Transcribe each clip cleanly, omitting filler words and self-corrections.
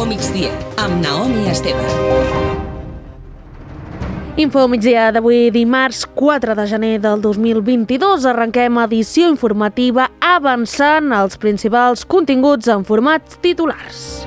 Info Migdia, amb Naomi Esteve. Info Migdia d'avui dimarts 4 de gener del 2022. Arrenquem edició informativa avançant els principals continguts en format titulars.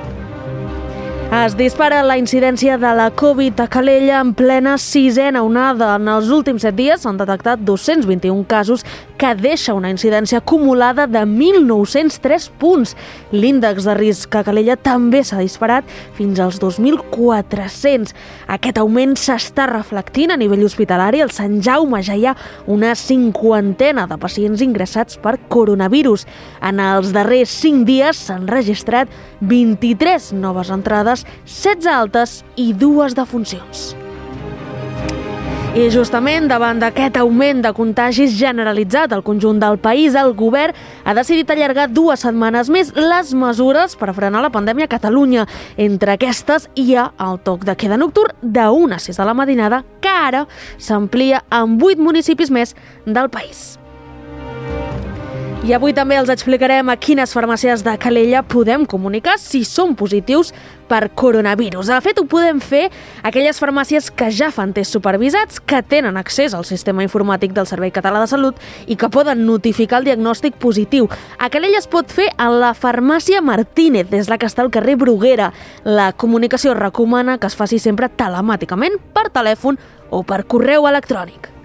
Es dispara la incidència de la Covid a Calella en plena sisena onada. En els últims 7 dies s'han detectat 221 casos que deixa una incidència acumulada de 1.903 punts. L'índex de risc a Calella també s'ha disparat fins als 2.400. Aquest augment s'està reflectint a nivell hospitalari. Al Sant Jaume ja hi ha una 50ena de pacients ingressats per coronavirus. En els darrers 5 dies s'han registrat 23 noves entrades, 16 altes i 2 defuncions. I justament davant d'aquest augment de contagis generalitzat al conjunt del país, el govern ha decidit allargar 2 setmanes més les mesures per frenar la pandèmia a Catalunya. Entre aquestes hi ha el toc de queda nocturn de 1 a 6 de la matinada, que ara s'amplia en 8 municipis més del país. I avui també els explicarem a quines farmàcies de Calella podem comunicar si són positius per coronavirus. De fet, ho podem fer aquelles farmàcies que ja fan tests supervisats, que tenen accés al sistema informàtic del Servei Català de Salut i que poden notificar el diagnòstic positiu. A Calella es pot fer a la farmàcia Martínez, des la que està al carrer Bruguera. La comunicació recomana que es faci sempre telemàticament, per telèfon o per correu electrònic.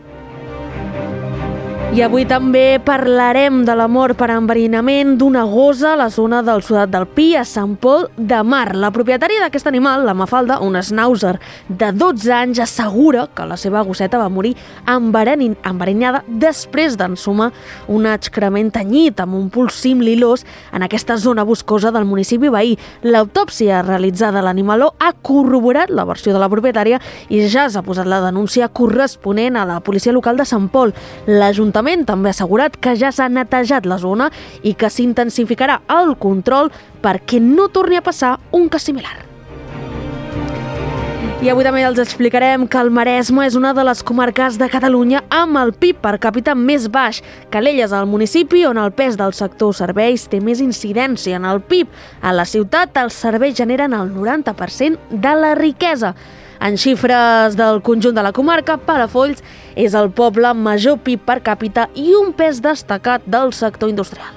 I avui també parlarem de la mort per enverinament d'una gossa a la zona del Sudat del Pi, a Sant Pol de Mar. La propietària d'aquest animal, la Mafalda, un schnauzer de 12 anys, assegura que la seva gosseta va morir enverinada després d'ensumar un excrement tenyit amb un polsim lilós en aquesta zona boscosa del municipi veí. L'autòpsia realitzada a l'animaló ha corroborat la versió de la propietària i ja s'ha posat la denúncia corresponent a la policia local de Sant Pol. L'Ajuntament també ha assegurat que ja s'ha netejat la zona i que s'intensificarà el control perquè no torni a passar un cas similar. I avui també els explicarem que el Maresme és una de les comarques de Catalunya amb el PIB per càpita més baix. Calella és el municipi on el pes del sector serveis té més incidència en el PIB. A la ciutat, els serveis generen el 90% de la riquesa. En xifres del conjunt de la comarca, Palafolls és el poble amb major PIB per càpita i un pes destacat del sector industrial.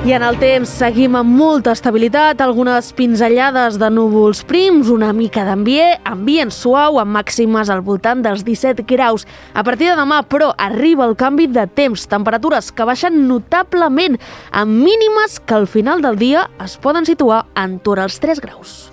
I en el temps seguim amb molta estabilitat, algunes pinzellades de núvols prims, una mica ambient suau amb màximes al voltant dels 17 graus. A partir de demà, però, arriba el canvi de temps, temperatures que baixen notablement, amb mínimes que al final del dia es poden situar entorn als 3 graus.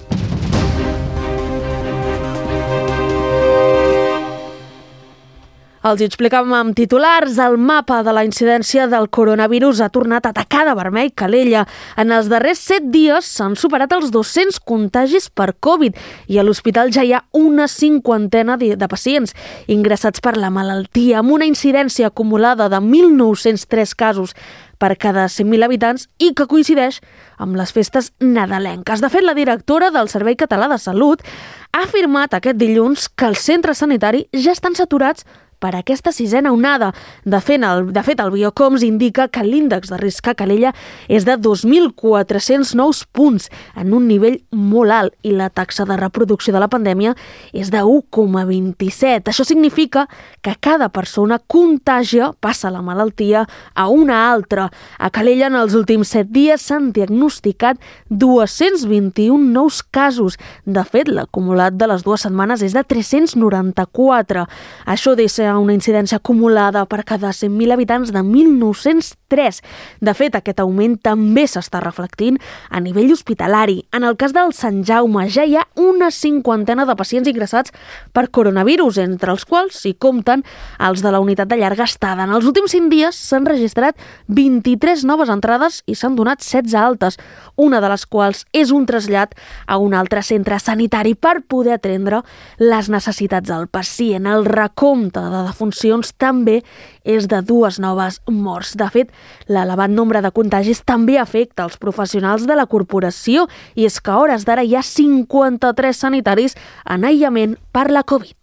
Els hi explicàvem amb titulars. El mapa de la incidència del coronavirus ha tornat a atacar de vermell Calella. En els darrers 7 dies s'han superat els 200 contagis per Covid i a l'hospital ja hi ha una 50ena de pacients ingressats per la malaltia, amb una incidència acumulada de 1.903 casos per cada 100.000 habitants i que coincideix amb les festes nadalenques. De fet, la directora del Servei Català de Salut ha afirmat aquest dilluns que els centres sanitaris ja estan saturats per aquesta 6ena onada. De fet, el Biocoms indica que l'índex de risc a Calella és de 2.400 nous punts, en un nivell molt alt, i la taxa de reproducció de la pandèmia és de 1,27. Això significa que cada persona contagia, passa la malaltia a una altra. A Calella, en els últims 7 dies, s'han diagnosticat 221 nous casos. De fet, l'acumulat de les 2 setmanes és de 394. Això deixa una incidència acumulada per cada 100.000 habitants de 1.903. De fet, aquest augment també s'està reflectint a nivell hospitalari. En el cas del Sant Jaume ja hi ha una 50ena de pacients ingressats per coronavirus, entre els quals s'hi compten els de la unitat de llarga estada. En els últims 5 dies s'han registrat 23 noves entrades i s'han donat 16 altes, una de les quals és un trasllat a un altre centre sanitari per poder atendre les necessitats del pacient. El recompte de defuncions també és de 2 noves morts. De fet, l'elevat nombre de contagis també afecta els professionals de la corporació i és que a hores d'ara hi ha 53 sanitaris en aïllament per la Covid.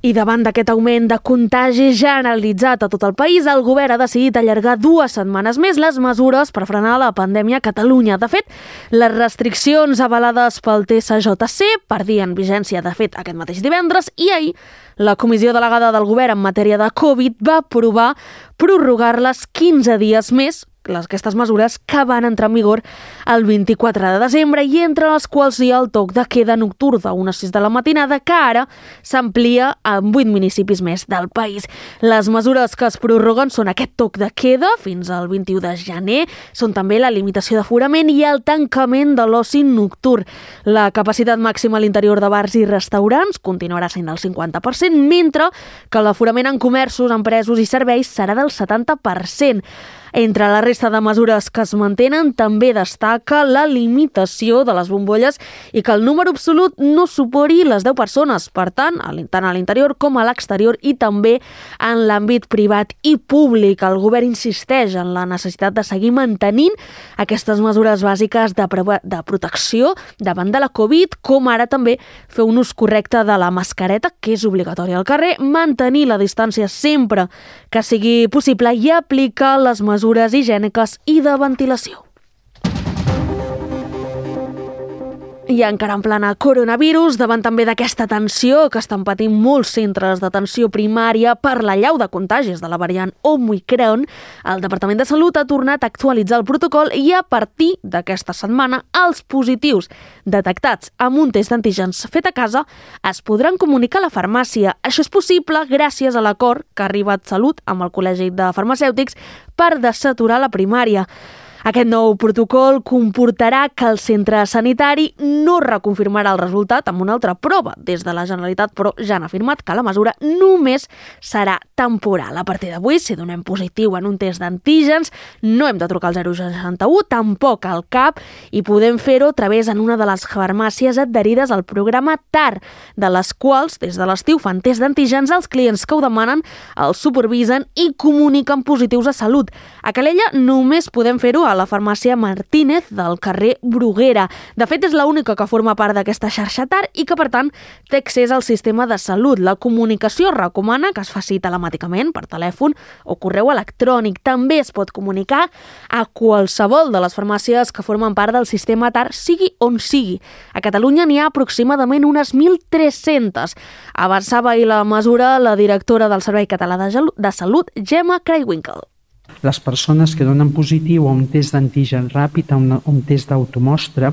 I davant d'aquest augment de contagi generalitzat a tot el país, el govern ha decidit allargar 2 setmanes més les mesures per frenar la pandèmia a Catalunya. De fet, les restriccions avalades pel TSJC perdien vigència, de fet, aquest mateix divendres, i ahir la comissió delegada del govern en matèria de Covid va aprovar prorrogar-les 15 dies més, aquestes mesures que van entrar en vigor el 24 de desembre i entre les quals hi ha el toc de queda nocturn de 1 a 6 de la matinada, que ara s'amplia en 8 municipis més del país. Les mesures que es prorroguen són aquest toc de queda fins al 21 de gener, són també la limitació d'aforament i el tancament de l'oci nocturn. La capacitat màxima a l'interior de bars i restaurants continuarà sent del 50%, mentre que l'aforament en comerços, empresos i serveis serà del 70%. Entre la resta de mesures que es mantenen també destaca la limitació de les bombolles i que el número absolut no superi les 10 persones, per tant a l'interior com a l'exterior i també en l'àmbit privat i públic. El govern insisteix en la necessitat de seguir mantenint aquestes mesures bàsiques de protecció davant de la Covid, com ara també fer un ús correcte de la mascareta, que és obligatòria al carrer, mantenir la distància sempre que sigui possible i aplicar les mesures higièniques i de ventilació. I encara en plana coronavirus, davant també d'aquesta tensió que estan patint molts centres d'atenció primària per l'allau de contagis de la variant Omicron, el Departament de Salut ha tornat a actualitzar el protocol i a partir d'aquesta setmana els positius detectats amb un test d'antígens fet a casa es podran comunicar a la farmàcia. Això és possible gràcies a l'acord que ha arribat Salut amb el Col·legi de Farmacèutics per desaturar la primària. Aquest nou protocol comportarà que el centre sanitari no reconfirmarà el resultat amb una altra prova des de la Generalitat, però ja han afirmat que la mesura només serà temporal. A partir d'avui, si donem positiu en un test d'antígens, no hem de trucar al 061, tampoc al CAP, i podem fer-ho a través en una de les farmàcies adherides al programa TAR, de les quals, des de l'estiu, fan test d'antígens als clients que ho demanen, els supervisen i comuniquen positius a Salut. A Calella només podem fer-ho a la farmàcia Martínez del carrer Bruguera. De fet, és l'única que forma part d'aquesta xarxa TAR i que, per tant, té accés al sistema de salut. La comunicació recomana que es faci telemàticament per telèfon o correu electrònic. També es pot comunicar a qualsevol de les farmàcies que formen part del sistema TAR, sigui on sigui. A Catalunya n'hi ha aproximadament unes 1.300. Avançava ahir la mesura la directora del Servei Català de Salut, Gemma Craywinkle. Les persones que donen positiu a un test d'antigen ràpid, a un test d'automostra,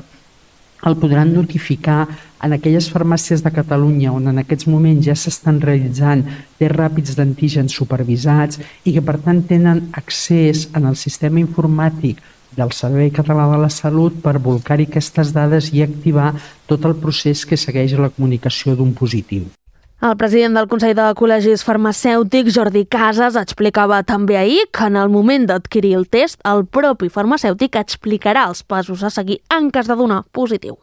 el podran notificar en aquelles farmàcies de Catalunya on en aquests moments ja s'estan realitzant tests ràpids d'antígens supervisats i que per tant tenen accés en el sistema informàtic del Servei Català de la Salut per bolcar-hi aquestes dades i activar tot el procés que segueix la comunicació d'un positiu. El president del Consell de Col·legis Farmacèutics, Jordi Casas, explicava també ahir que en el moment d'adquirir el test, el propi farmacèutic explicarà els passos a seguir en cas de donar positiu.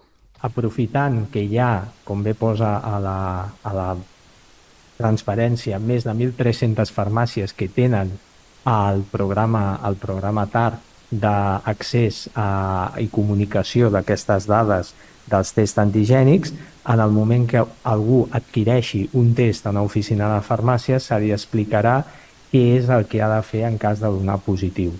Aprofitant que hi ha, com bé posa a la transparència, més de 1.300 farmàcies que tenen el programa TAR d'accés i comunicació d'aquestes dades dels tests antigènics, en el moment que algú adquireixi un test a una oficina de farmàcia, se li explicarà què és el que ha de fer en cas de donar positiu.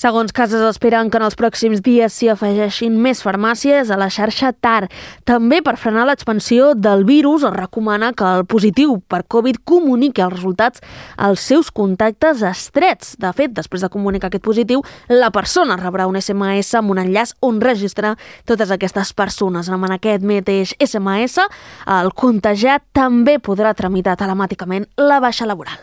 Segons Casas, esperen que en els pròxims dies s'hi afegeixin més farmàcies a la xarxa TAR. També per frenar l'expansió del virus es recomana que el positiu per Covid comuniqui els resultats als seus contactes estrets. De fet, després de comunicar aquest positiu, la persona rebrà un SMS amb un enllaç on registrar totes aquestes persones. En aquest mateix SMS, el contagiat també podrà tramitar telemàticament la baixa laboral.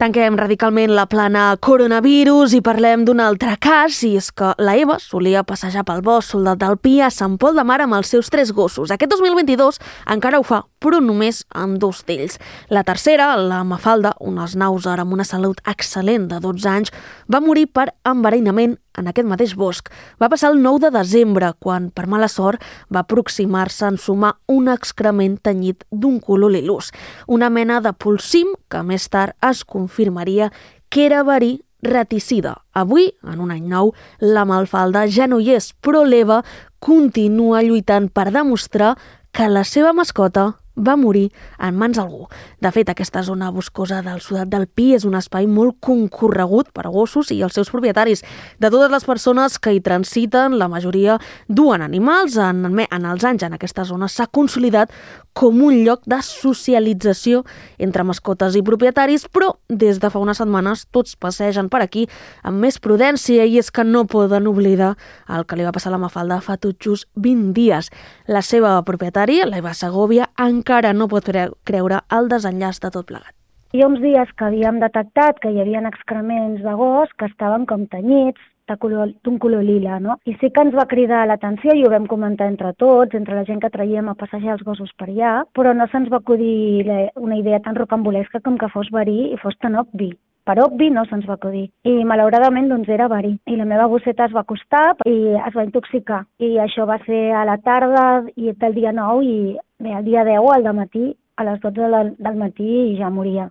Tanquem radicalment la plana coronavirus i parlem d'un altre cas, i és que la Eva solia passejar pel bosc Soldat del Pi a Sant Pol de Mar amb els seus 3 gossos. Aquest 2022 encara ho fa, però només amb 2 d'ells. La tercera, la Mafalda, una schnauzer amb una salut excel·lent de 12 anys, va morir per enverinament en aquest mateix bosc. Va passar el 9 de desembre, quan, per mala sort, va aproximar-se a ensumar un excrement tenyit d'un color lilús, una mena de polsim que més tard es confirmaria que era verí raticida. Avui, en un any nou, la Mafalda ja no hi és, però l'Eva continua lluitant per demostrar que la seva mascota va morir en mans d'algú. De fet, aquesta zona boscosa del Sudat del Pi és un espai molt concorregut per gossos i els seus propietaris. De totes les persones que hi transiten, la majoria duen animals. En els anys en aquesta zona s'ha consolidat com un lloc de socialització entre mascotes i propietaris, però des de fa unes setmanes tots passegen per aquí amb més prudència, i és que no poden oblidar el que li va passar a la Mafalda fa tot just 20 dies. La seva propietària, l'Eva Segovia, encara no pot creure el desenllaç de tot plegat. Hi ha uns dies que havíem detectat que hi havia excrements de gos que estaven com tenyits, d'un color lila, no? I sí que ens va cridar l'atenció i ho vam comentar entre tots, entre la gent que traiem a passejar els gossos per allà, però no se'ns va acudir una idea tan rocambolesca com que fos verí i fos tan obvi. Per obvi no se'ns va acudir. I malauradament doncs era verí. I la meva gosseta es va acostar i es va intoxicar. I això va ser a la tarda del dia 9 i bé, el dia 10 al dematí, a les 12 del matí, i ja moria.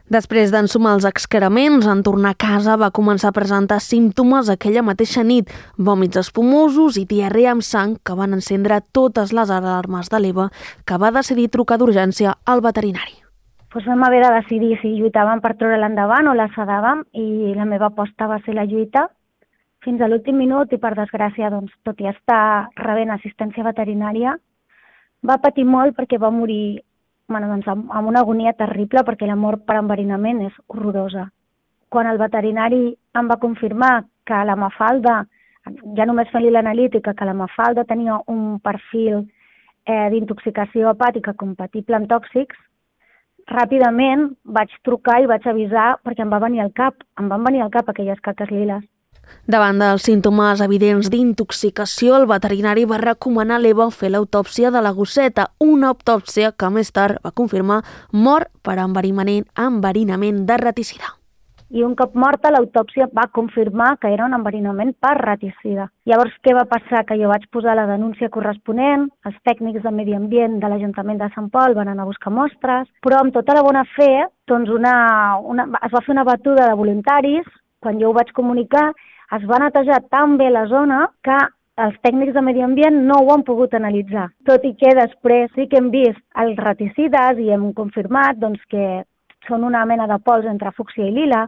Després d'ensumar els excrements, en tornar a casa va començar a presentar símptomes aquella mateixa nit, vòmits espumosos i diarrea amb sang que van encendre totes les alarmes de l'Eva, que va decidir trucar d'urgència al veterinari. Doncs vam haver de decidir si lluitàvem per treure-la endavant o la sedàvem, i la meva aposta va ser la lluita fins a l'últim minut, i per desgràcia, doncs, tot i estar rebent assistència veterinària, va patir molt perquè va morir amb una agonia terrible, perquè la mort per enverinament és horrorosa. Quan el veterinari em va confirmar que la Mafalda, ja només fent-li l'analítica, que la Mafalda tenia un perfil d'intoxicació hepàtica compatible amb tòxics, ràpidament vaig trucar i vaig avisar, perquè em van venir al cap aquelles caques liles. Davant dels símptomes evidents d'intoxicació, el veterinari va recomanar a l'Eva fer l'autòpsia de la gosseta, una autòpsia que més tard va confirmar mort per enverinament de raticida. I un cop morta, l'autòpsia va confirmar que era un enverinament per raticida. Llavors, què va passar? Que jo vaig posar la denúncia corresponent, els tècnics de medi ambient de l'Ajuntament de Sant Pol van anar a buscar mostres, però amb tota la bona fe, doncs es va fer una batuda de voluntaris. Quan jo ho vaig comunicar, es va netejar tan bé la zona que els tècnics de medi ambient no ho han pogut analitzar. Tot i que després sí que hem vist els raticides i hem confirmat que són una mena de pols entre fúcsia i lila.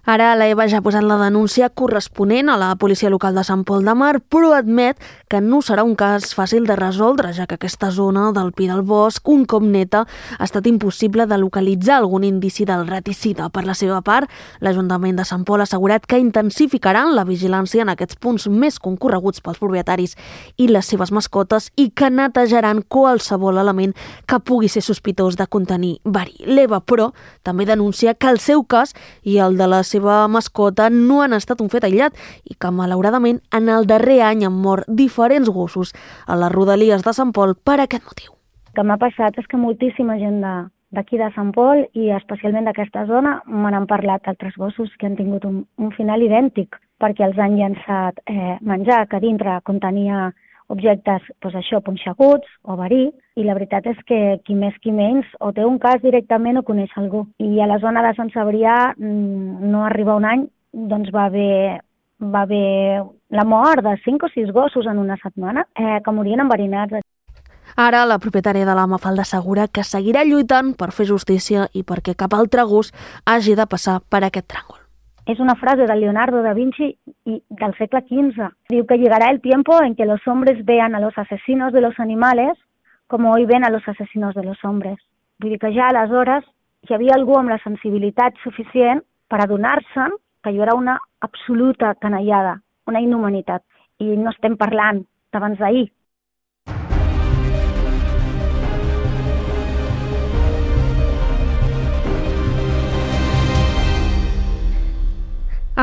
Ara l'Eva ja ha posat la denúncia corresponent a la policia local de Sant Pol de Mar, però admet que no serà un cas fàcil de resoldre, ja que aquesta zona del Pi del Bosc, un cop neta, ha estat impossible de localitzar algun indici del raticida. Per la seva part, l'Ajuntament de Sant Pol ha assegurat que intensificaran la vigilància en aquests punts més concorreguts pels propietaris i les seves mascotes, i que netejaran qualsevol element que pugui ser sospitós de contenir verí. L'Eva, però, també denuncia que el seu cas i el de la seva mascota no han estat un fet aïllat i que, malauradament, en el darrer any han mort diferents gossos a les rodalies de Sant Pol per aquest motiu. El que m'ha passat és que moltíssima gent d'aquí de Sant Pol, i especialment d'aquesta zona, me n'han parlat altres gossos que han tingut un final idèntic, perquè els han llançat menjar que dintre contenia objectes, punxeguts o verí, i la veritat és que qui més qui menys o té un cas directament o coneix algú. I a la zona de Sant Cebrià, no arriba un any, doncs va haver la mort de 5 o 6 gossos en una setmana que morien enverinats. Ara, la propietària de la Mafalda assegura que seguirà lluitant per fer justícia i perquè cap altre gos hagi de passar per aquest tràngol. Es una frase de Leonardo da Vinci del segle XV. Diu que llegará el tiempo en que los hombres vean a los asesinos de los animales como hoy ven a los asesinos de los hombres. Vull dir que ja aleshores hi havia algú amb la sensibilitat suficient per adonar-se'n que allò era una absoluta canallada, una inhumanitat. I no estem parlant d'abans d'ahir.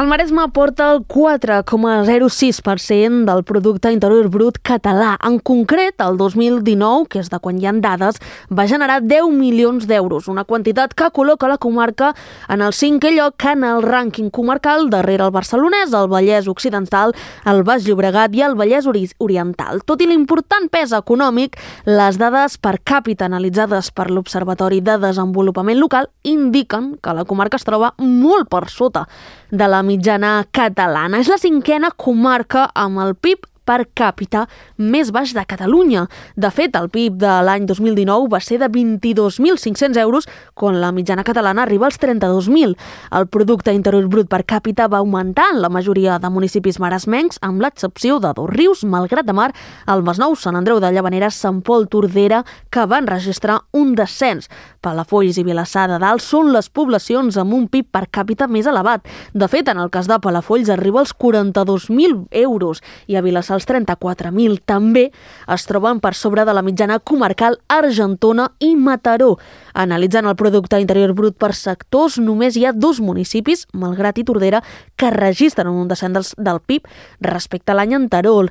El Maresme porta el 4,06% del producte interior brut català. En concret, el 2019, que és de quan hi ha dades, va generar 10 milions d'euros, una quantitat que col·loca la comarca en el 5è lloc en el rànquing comarcal, darrere el barcelonès, el Vallès Occidental, el Baix Llobregat i el Vallès Oriental. Tot i l'important pes econòmic, les dades per càpita analitzades per l'Observatori de Desenvolupament Local indiquen que la comarca es troba molt per sota de la mitjana catalana. És la 5a comarca amb el PIB per càpita més baix de Catalunya. De fet, el PIB de l'any 2019 va ser de 22.500 euros, quan la mitjana catalana arriba als 32.000. El producte interior brut per càpita va augmentar en la majoria de municipis maresmencs, amb l'excepció de Dosrius, Malgrat de Mar, el Masnou, Sant Andreu de Llavaneres, Sant Pol, Tordera, que van registrar un descens. Palafolls i Vilassar de Dalt són les poblacions amb un PIB per càpita més elevat. De fet, en el cas de Palafolls arriba als 42.000 euros i a Vilassar als 34.000. També es troben per sobre de la mitjana comarcal Argentona i Mataró. Analitzant el producte interior brut per sectors, només hi ha 2 municipis, Malgrat i Tordera, que registren un descens del PIB respecte a l'any anterior.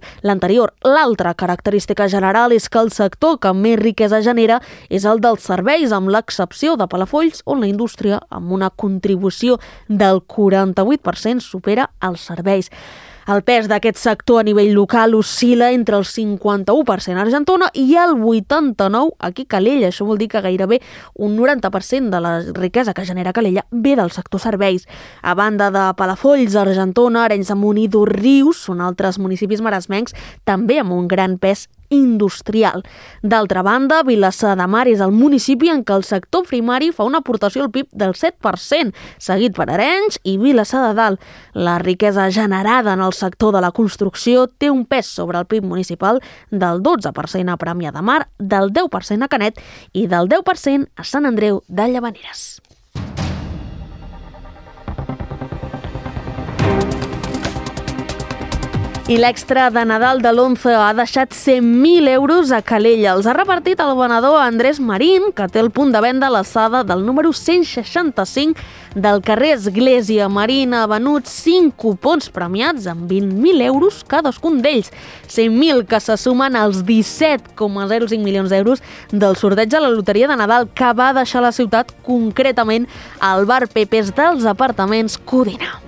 L'altra característica general és que el sector que més riquesa genera és el dels serveis, amb l'excepció de Palafolls, on la indústria, amb una contribució del 48%, supera els serveis. El pes d'aquest sector a nivell local oscil·la entre el 51% a Argentona i el 89% aquí a Calella. Això vol dir que gairebé un 90% de la riquesa que genera Calella ve del sector serveis. A banda de Palafolls, Argentona, Arenys de Munt i Dosrius són altres municipis maresmencs també amb un gran pes industrial. D'altra banda, Vilassar de Mar és el municipi en què el sector primari fa una aportació al PIB del 7%, seguit per Arenys i Vilassar de Dalt. La riquesa generada en el sector de la construcció té un pes sobre el PIB municipal del 12% a Premià de Mar, del 10% a Canet i del 10% a Sant Andreu de Llavaneres. I l'extra de Nadal de l'11 ha deixat 100.000 euros a Calella. Els ha repartit el venedor Andrés Marín, que té el punt de venda a l'alçada del número 165 del carrer Església. Marín ha venut 5 cupons premiats amb 20.000 euros cadascun d'ells. 100.000 que se sumen als 17,05 milions d'euros del sorteig de la loteria de Nadal, que va deixar la ciutat, concretament al bar Pepes dels apartaments Codina.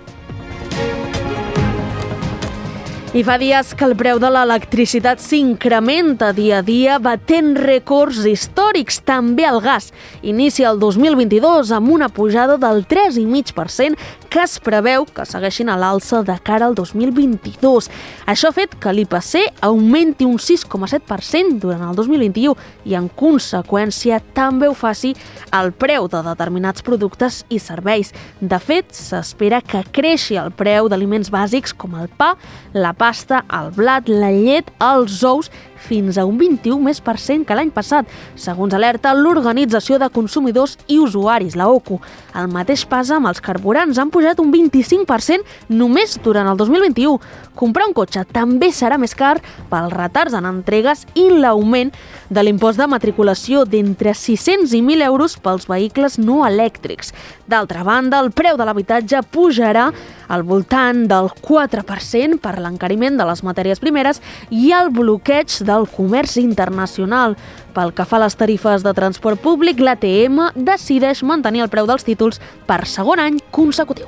I fa dies que el preu de l'electricitat s'incrementa dia a dia, batent rècords històrics. També el gas inicia el 2022 amb una pujada del 3,5% que es preveu que segueixin a l'alça de cara al 2022. Això ha fet que l'IPC augmenti un 6,7% durant el 2021 i, en conseqüència, també ho faci el preu de determinats productes i serveis. De fet, s'espera que creixi el preu d'aliments bàsics com el pa, la pasta, el blat, la llet, els ous, fins a un 21% que l'any passat, segons alerta l'Organització de Consumidors i Usuaris, la OCU. El mateix passa amb els carburants, han pujat un 25% només durant el 2021. Comprar un cotxe també serà més car pels retards en entregues i l'augment de l'impost de matriculació d'entre 600 i 1.000 euros pels vehicles no elèctrics. D'altra banda, el preu de l'habitatge pujarà al voltant del 4% per l'encariment de les matèries primeres i el bloqueig del comerç internacional. Pel que fa a les tarifes de transport públic, l'ATM decideix mantenir el preu dels títols per segon any consecutiu.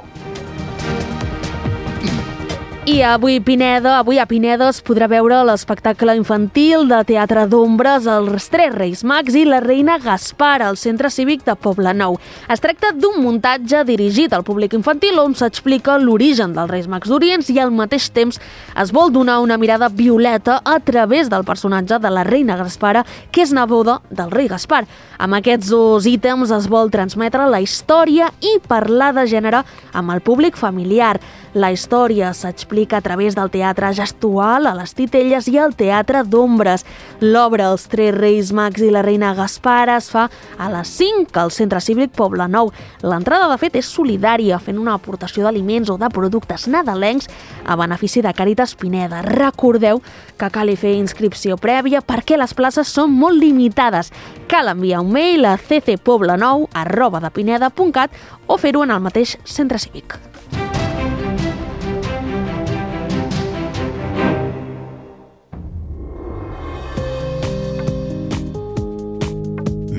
I avui a Pineda es podrà veure l'espectacle infantil de teatre d'ombres Els Tres Reis Mags i la Reina Gaspar al Centre Cívic de Poblenou. Es tracta d'un muntatge dirigit al públic infantil on s'explica l'origen dels Reis Mags d'Orient i al mateix temps es vol donar una mirada violeta a través del personatge de la Reina Gaspara, que és neboda del rei Gaspar. Amb aquests 2 ítems es vol transmetre la història i parlar de gènere amb el públic familiar. La història s'explica a través del teatre gestual, a les titelles i al teatre d'ombres. L'obra Els Tres Reis Mags i la Reina Gaspara es fa a les 5 al Centre Cívic Poblenou. L'entrada, de fet, és solidària, fent una aportació d'aliments o de productes nadalencs a benefici de Càritas Pineda. Recordeu que cal fer inscripció prèvia perquè les places són molt limitades. Cal enviar un mail a ccpoblenou@depineda.cat o fer-ho en el mateix centre cívic.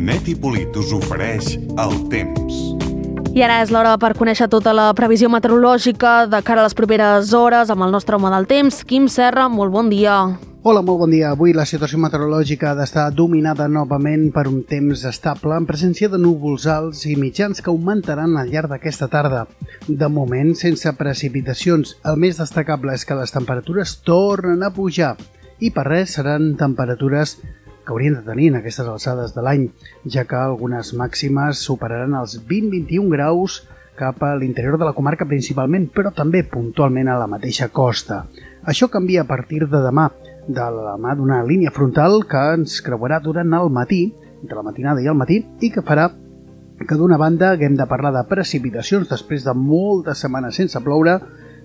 Net i Polit us ofereix el temps. I ara és l'hora per conèixer tota la previsió meteorològica de cara a les properes hores amb el nostre home del temps, Quim Serra. Molt bon dia. Hola, molt bon dia. Avui la situació meteorològica ha d'estar dominada novament per un temps estable en presència de núvols alts i mitjans que augmentaran al llarg d'aquesta tarda. De moment, sense precipitacions. El més destacable és que les temperatures tornen a pujar i per res seran temperatures que haurien de tenir en aquestes alçades de l'any, ja que algunes màximes superaran els 20-21 graus cap a l'interior de la comarca principalment, però també puntualment a la mateixa costa. Això canvia a partir de demà, de la mà d'una línia frontal que ens creuarà durant el matí, entre la matinada i el matí, i que farà que d'una banda haguem de parlar de precipitacions després de moltes setmanes sense ploure,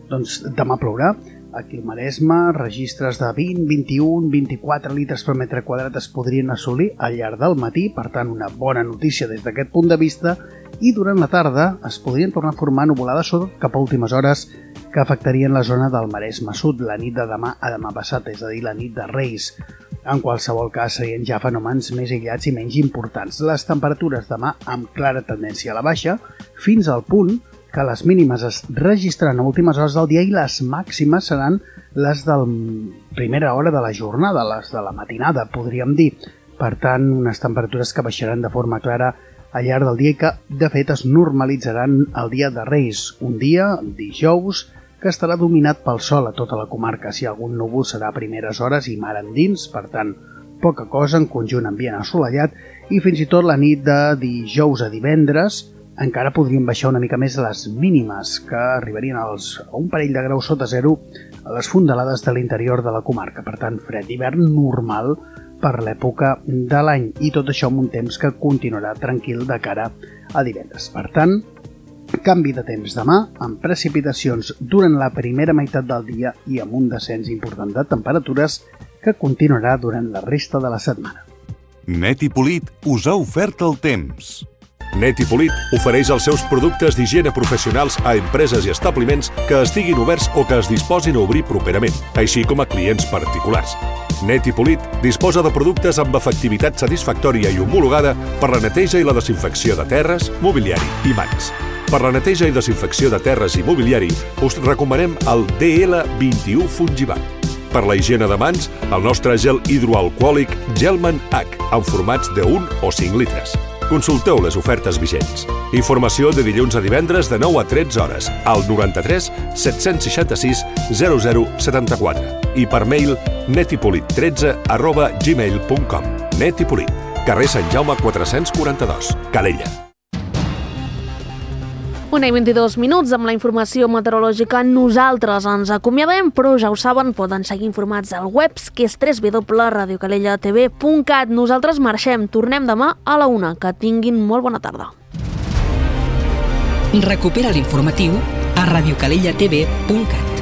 doncs demà plourà. Aquí al Maresme, registres de 20, 21, 24 litres per metre quadrat es podrien assolir al llarg del matí, per tant una bona notícia des d'aquest punt de vista, i durant la tarda es podrien tornar a formar nuvolades sobretot cap a últimes hores que afectarien la zona del Maresme Sud la nit de demà a demà passat, és a dir, la nit de Reis. En qualsevol cas serien ja fenòmens més aïllats i menys importants. Les temperatures demà amb clara tendència a la baixa, fins al punt que les mínimes es registraran a últimes hores del dia i les màximes seran les de la primera hora de la jornada, les de la matinada, podríem dir. Per tant, unes temperatures que baixaran de forma clara al llarg del dia i que, de fet, es normalitzaran el dia de Reis, un dia, dijous, que estarà dominat pel sol a tota la comarca. Si algun núvol serà a primeres hores i mar endins, per tant, poca cosa, en conjunt ambient assolellat, i fins i tot la nit de dijous a divendres encara podrien baixar una mica més les mínimes, que arribarien a un parell de graus sota zero a les fondalades de l'interior de la comarca. Per tant, fred d'hivern normal per l'època de l'any, i tot això amb un temps que continuarà tranquil de cara a divendres. Per tant, canvi de temps demà, amb precipitacions durant la primera meitat del dia i amb un descens important de temperatures que continuarà durant la resta de la setmana. Net i Polit us ha ofert el temps. Net i Polit ofereix els seus productes d'higiene professionals a empreses i establiments que estiguin oberts o que es disposin a obrir properament, així com a clients particulars. Net i Polit disposa de productes amb efectivitat satisfactòria i homologada per la neteja i la desinfecció de terres, mobiliari i mans. Per la neteja i desinfecció de terres i mobiliari us recomanem el DL21 Fungibat. Per la higiene de mans, el nostre gel hidroalcohòlic Gelman H, en formats de 1 o 5 litres. Consulteu les ofertes vigents. Informació de dilluns a divendres de 9 a 13 hores al 93 766 0074 i per mail netipolit13@gmail.com. Net i Polit, carrer Sant Jaume 442, Calella. 1:22 amb la informació meteorològica. Nosaltres ens acomiadem, però ja ho saben, poden seguir informats al web, que és www.radiocalellatv.cat. Nosaltres marxem, tornem demà a la 1. Que tinguin molt bona tarda. Recupera l'informatiu a radiocalellatv.cat.